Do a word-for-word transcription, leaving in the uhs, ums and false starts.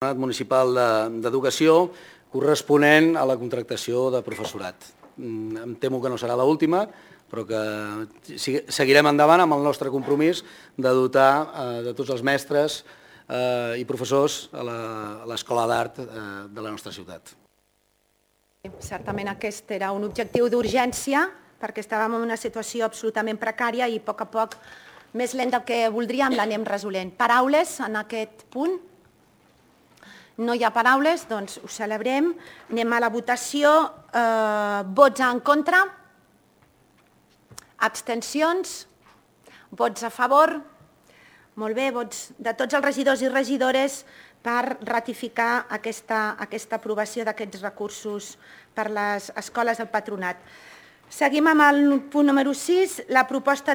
municipal d'educació corresponent a la contractació de professorat. Em temo que no serà l'última, però que seguirem endavant amb el nostre compromís de dotar de tots els mestres i professors a l'Escola d'Art de la nostra ciutat. Certament aquest era un objectiu d'urgència perquè estàvem en una situació absolutament precària i a poc a poc, més lent del que voldríem, l'anem resolent. Paraules en aquest punt? No hi ha paraules, doncs ho celebrem. Anem a la votació. Vots en contra? Abstencions? Vots a favor? Molt bé, vots de tots els regidors i regidores per ratificar aquesta aprovació d'aquests recursos per les escoles del patronat. Seguim amb el punt número sis, la proposta